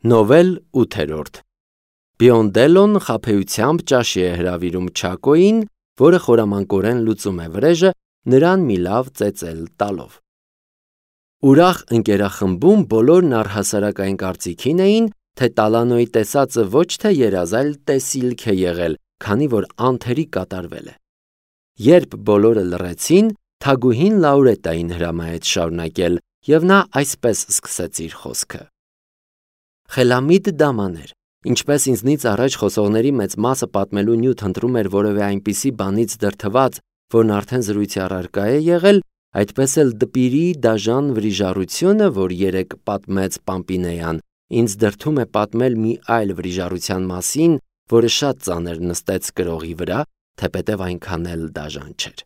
Նովել 8-րդ Բիոնդելոն խաբեությամբ ճաշի է հրավիրում Չակոյին, որը խորամանկորեն լուծում է վրեժը, նրան մի լավ ծեծել տալով։ Ուրախ ընկերախմբում բոլորն առհասարակային կարծիքին էին, թե Տալանոյի տեսածը ոչ թե երազ, այլ տեսիլք է եղել, քանի որ անթերի կատարվել է։ Երբ բոլորը լռեցին, թագուհին Լաուրետային հրամայեց շարունակել, և նա այսպես սկսեց իր խոսքը. Խելամիտ դամաներ, ինչպես ինձնից առաջ խոսողների մեծ մասը պատմելու նյութ ընտրում էր որևէ այնպիսի բանից դրդված, որն արդեն զրույցի առարկա է եղել, այդպես էլ դպիրի դաժան վրիժառությունը, որ երեկ պատմեց Պամպինեան, ինձ դրդում է պատմել մի այլ վրիժառության մասին, որը շատ ծանր նստեց կրողի վրա, թեպետև այնքան էլ դաժան չէր։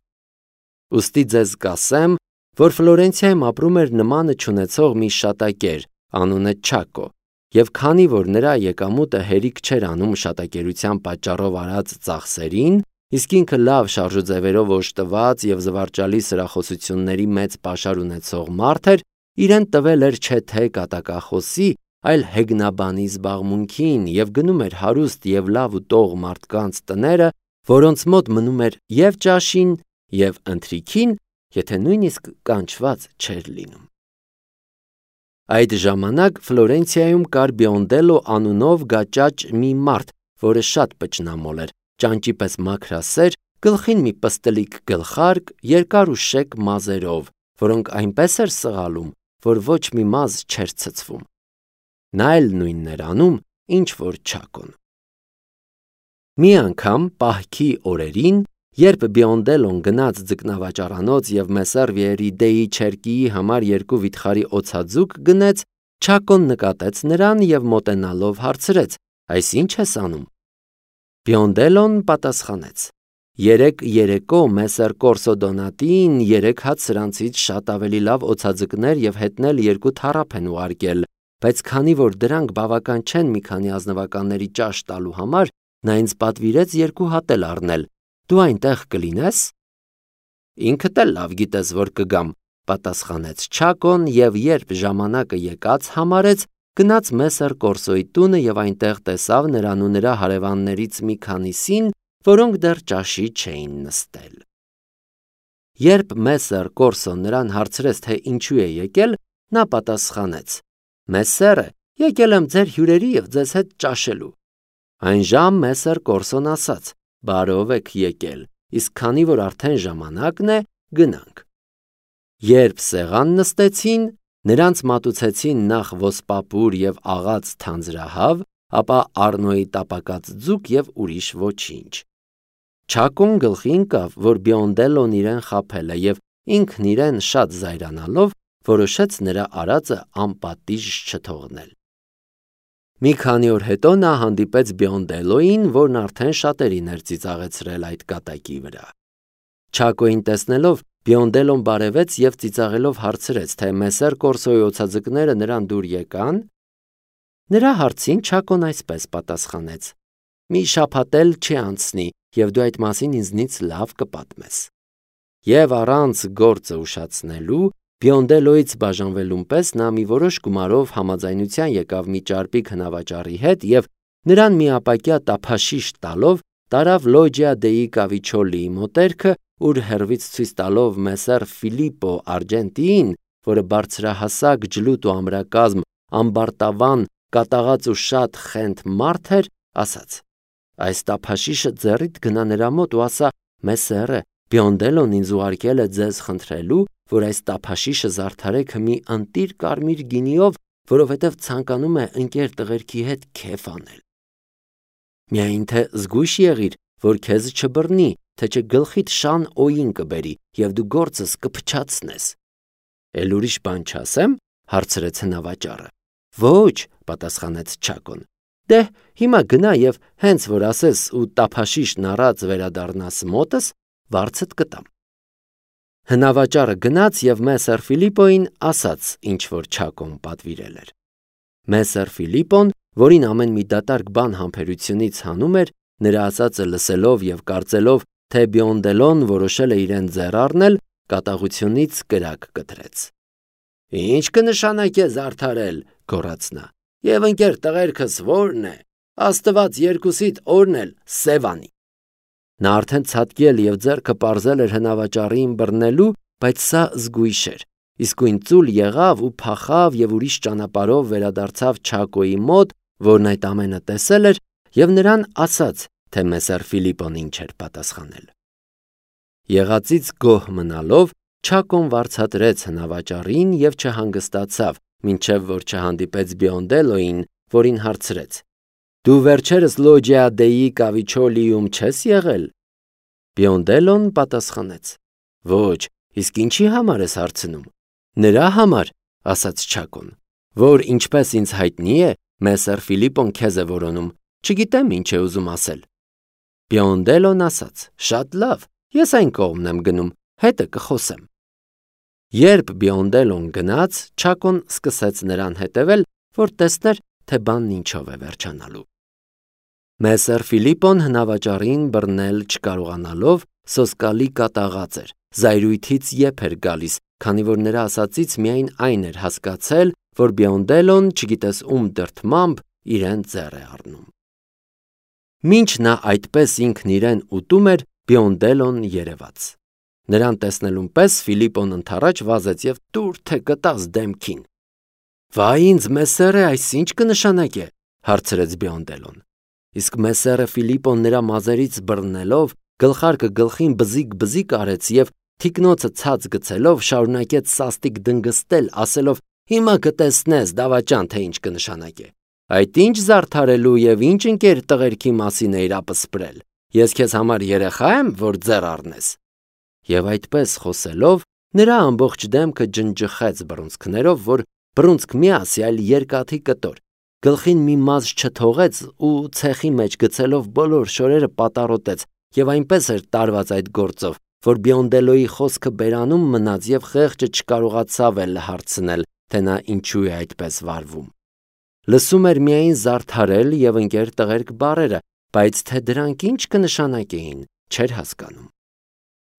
Ուստի ձեզ կասեմ, որ Ֆլորենցիայում ապրում էր նմանը չունեցող մի շատակեր, անունը Չակո, և քանի որ նրա եկամուտը հերիք չէր անում շատակերության պատճառով արած ծախսերին, իսկ ինքը լավ շարժուձևերով օժտված և զվարճալի սրախոսությունների մեծ պաշար ունեցող մարդ էր, իրեն տվել էր չէ թե կատակախոսի, այլ հեգնաբանի զբաղմունքին և գնում էր հարուստ և լավ ուտող մարդկանց տները, որոնց մոտ մնում էր և ճաշին, և ընթրիքին, եթե նույնիսկ կանչված չէր լինում։ Այդ ժամանակ Ֆլորենցիայում կար Բիոնդելո անունով գաճաճ մի մարդ, որը շատ պճնամոլ էր, ճանճի պես մաքրասեր, գլխին մի պստլիկ գլխարկ, երկար ու շեկ մազերով, որոնք այնպես էր սղալում, որ ոչ մի մազ չէր ցցվում։ Նա էլ նույնն էր անում, ինչ որ Չակոն։ Մի անգամ պահքի օրերին, երբ Բիոնդելոն գնաց ձկնավաճառանոց և Մեսսեր Վիերի Դեի Չերկիի համար 2 վիթխարի օձաձուկ գնեց, Չակոն նկատեց նրան և մոտենալով հարցրեց. «Այս ի՞նչ ես անում»։ Բիոնդելոն պատասխանեց. «Երեկ երեկո Մեսսեր Կորսո Դոնատին 3 հատ սրանցից շատ ավելի լավ օձաձկներ և հետնել 2 թառափ են ուղարկել, բայց քանի որ դրանք բավական չեն մի քանի ազնվականների ճաշ տալու համար, նա ինձ պատվիրեց 2 հատ էլ առնել, դու այնտեղ կլինե՞ս»։ «Ինքդ էլ լավ գիտես, որ կգամ», պատասխանեց Չակոն և երբ ժամանակը եկած համարեց, գնաց Մեսսեր Կորսոյի տունը և այնտեղ տեսավ նրան ու նրա հարևաններից մի քանիսին, որոնք դեռ ճաշի չէին նստել։ Երբ Մեսսեր Կորսոն նրան հարցրեց, թե ինչու է եկել, նա պատասխանեց. «Մեսսերը, եկել եմ ձեր հյուրերի և ձեզ հետ ճաշելու»։ Այն ժամ Մեսսեր Կորսոն ասաց. «Բարով եք եկել, իսկ քանի որ արդեն ժամանակն է, գնանք»։ Երբ սեղան նստեցին, նրանց մատուցեցին նախ ոսպապուր և աղած թանձրահավ, ապա առնոյի տապակած ձուկ և ուրիշ ոչինչ։ Չակոն գլխի ընկավ, որ Բիոնդելոն իրեն խաբել է և ինքն իրեն շատ զայրանալով որոշեց նրա արածը անպատիժ չթողնել։ Մի քանի օր հետո նա հանդիպեց Բիոնդելոյին, որն արդեն շատերին էր ծիծաղեցրել այդ կատակի վրա։ Չակոյին տեսնելով Բիոնդելոն բարևեց և ծիծաղելով հարցրեց, թե Մեսսեր Կորսոյի օձաձկները նրան դուր եկա՞ն։ Նրա հարցին Չակոն այսպես պատասխանեց. «Մի շաբաթ էլ չի անցնի, և դու այդ մասին ինձնից լավ կպատմես»։ Եվ առանց գործը ուշացնելու, Բիոնդելոյից բաժանվելուն պես նա մի որոշ գումարով համաձայնության եկավ մի ճարպիկ հնավաճառի հետ և նրան մի ապակյա տափաշիշ տալով տարավ Լոջիա դեի Կավիչոլիի մոտերքը, ուր հեռվից ցույց տալով Մեսսեր Ֆիլիպպո Արգենտիին, որը բարձրահասակ, ջլուտ ու ամրակազմ, ամբարտավան, կատաղած ու շատ խենթ մարդ էր, ասաց. «Այս տափաշիշը ձեռիդ գնա նրա մոտ ու ասա. Մեսսերը, Բիոնդելոն ինձ ուղարկել է ձեզ խնդրելու, որ այս տափաշիշը զարդարեք մի ընտիր կարմիր գինիով, որովհետև ցանկանում է ընկեր տղերքի հետ քեֆ անել։ Միայն թե զգույշ եղիր, որ քեզ չբռնի, թե չէ գլխիդ շան օին կբերի, և դու գործս կփչացնես»։ «Էլ ուրիշ բան չասե՞մ», հարցրեց հնավաճառը։ «Ոչ», պատասխանեց Չակոն։ «Դե, հիմա գնա և հենց որ ասես ու տափաշիշն առած վերադառնաս մոտս, վարձդ կտամ»։ Հնավաճառը գնաց և Մեսսեր Ֆիլիպպոյին ասաց, ինչ որ Չակոն պատվիրել էր։ Մեսսեր Ֆիլիպպոն, որին ամեն մի դատարկ բան համբերությունից հանում էր, նրա ասածը լսելով և կարծելով, թե Բիոնդելոն որոշել է իրեն ձեռ առնել, կատաղությունից կրակ կտրեց։ «Ի՞նչ կնշանակե զարդարել», գոռաց նա։ Եվ ընկեր տղերքս ո՞րն է, Աստված երկուսիդ օրն էլ սև անի։ Նա արդեն ցատկել և ձեռքը պարզել էր հնավաճառին բռնելու, բայց սա զգույշ էր, իսկույն ծուլ եղավ ու փախավ և ուրիշ ճանապարհով վերադարձավ Չակոյի մոտ, որն այդ ամենը տեսել էր, և նրան ասաց, թե Մեսեր Ֆիլիպպոն ինչ էր պատասխանել։ Եղածից գոհ մնալով Չակոն վարձատրեց հնավաճառին և չհանգստացավ, մինչև որ չհանդիպեց Բիոնդելոյին, որին հարցրեց. «Դու վերջերս Լոջիա դեի Կավիչոլիում չես եղել»։ Բիոնդելոն պատասխանեց. «Ոչ, իսկ ինչի համար ես հարցնում»։ «Նրա համար», ասաց Չակոն, «որ ինչպես ինձ հայտնի է, Մեսեր Ֆիլիպպոն քեզ է որոնում, չգիտեմ ինչ է ուզում ասել»։ Բիոնդելոն ասաց. «Շատ լավ, ես այն կողմն եմ գնում, հետը կխոսեմ»։ Երբ Բիոնդելոն գնաց, Չակոն սկսեց նրան հետևել, որ տեսներ, թե բանն ինչով է վերջանալու։ Մեսեր Ֆիլիպպոն հնավաճառին բռնել չկարողանալով սոսկալի կատաղած էր, զայրույթից եփ էր գալիս, քանի որ նրա ասածից միայն այն էր հասկացել, որ Բիոնդելոն, չգիտես ում դրդմամբ, իրեն ձեռ է առնում։ Մինչ նա այդպես ինքն իրեն ուտում էր, Բիոնդելոն երևաց։ Նրան տեսնելուն պես Ֆիլիպպոն ընդառաջ վազեց և տուր թե գտած դեմքին։ «Վայ ինձ, Մեսերը, այս ինչ կնշանակե», հարցրեց Բիոնդելոն։ Իսկ Մեսերը Ֆիլիպպոն նրա մազերից բռնելով, գլխարկը գլխին բզիկ արեց և թիկնոցը ցած գցելով շարունակեց սաստիկ դնգստել, ասելով. «Հիմա կտեսնես, դավաճան, թե ինչ կնշանակե։ Այդ ինչ զարդարելու և ինչ ընկեր տղերքի մասին էիր ապսպրել։ Ես քեզ համար երեխա եմ, որ ձեռ առնես»։ Եվ այդպես խոսելով, նրա ամբողջ դեմքը ջնջխեց բռունցքներով, որ բռունցք միասի, այլ երկաթի կտոր, գլխին մի մազ չթողեց ու ցեխի մեջ գցելով բոլոր շորերը պատառոտեց և այնպես էր տարված այդ գործով, որ Բիոնդելոյի խոսքը բերանում մնաց և խեղճը չկարողացավ էլ հարցնել, թե նա ինչու է այդպես վարվում։ Լսում էր միայն զարդարել և ընկեր տղերք բառերը, բայց թե դրանք ինչ կնշանակեին, չէր հասկանում։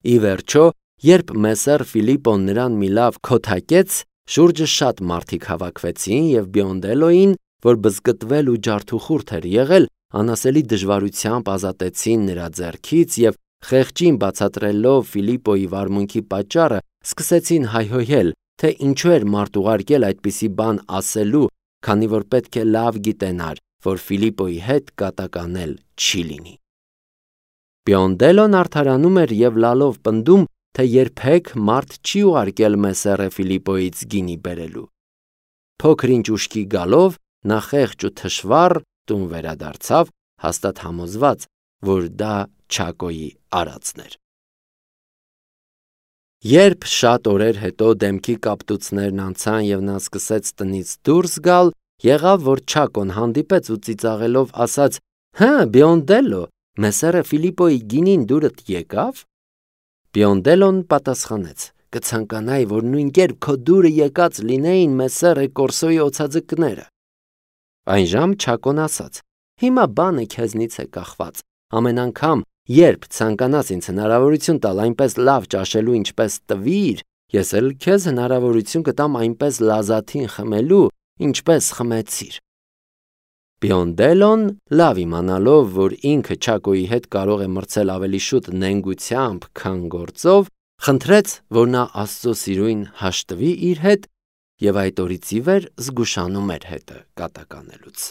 Ի վերջո, երբ Մեսեր Ֆիլիպպոն նրան մի լավ քոթակեց, շուրջը շատ մարդիկ հավաքվեցին և Բիոնդելոյին, որ բզկտվել ու ջարդուխուրդ էր եղել, անասելի դժվարությամբ ազատեցին նրա ձեռքից և խեղճին բացատրելով Ֆիլիպպոյի վարմունքի պատճառը, սկսեցին հայհոյել, թե ինչու էր մարդ ուղարկել այդպիսի բան ասելու, քանի որ պետք է լավ գիտենար, որ Ֆիլիպպոյի հետ կատականել չի լինի։ Բիոնդելոն արդարանում էր և լալով պնդում, թե երբեք մարդ չի ուղարկել Մեսերը Ֆիլիպպոյից գինի բերելու։ Փոքր-ինչ ուշքի գալով, նա խեղճ ու թշվառ տուն վերադարձավ, հաստատ համոզված, որ դա Չակոյի արածն էր։ Երբ շատ օրեր հետո դեմքի կապտուցներն անցան և նա սկսեց տնից դուրս գալ, եղավ, որ Չակոն հանդիպեց ու ծիծաղելով ասաց. «Հը, Բիոնդելո, Մեսերը Ֆիլիպպոյի գինին դուրդ եկավ»։ Բիոնդելոն պատասխանեց. «Կցանկանայի, որ նույնքերպ քո դուրը եկած լինեին Մեսերը Կորսոյի օձաձկները»։ Այնժամ Չակոն ասաց. «Հիմա բանը քեզնից է կախված, ամեն անգամ, երբ ցանկանաս ինձ հնարավորություն տալ այնպես լավ ճաշելու, ինչպես տվիր, ես էլ քեզ հնարավորություն կտամ այնպես լազաթին խմելու, ինչպես խմեցիր»։ Բիոնդելոն, լավ իմանալով, որ ինքը Չակոյի հետ կարող է մրցել ավելի շուտ նենգությամբ, քան գործով, խնդրեց, որ նա Աստծո սիրույն հաշտվի իր հետ և այդ օրից ի վեր զգուշանում էր հետը կատականելուց։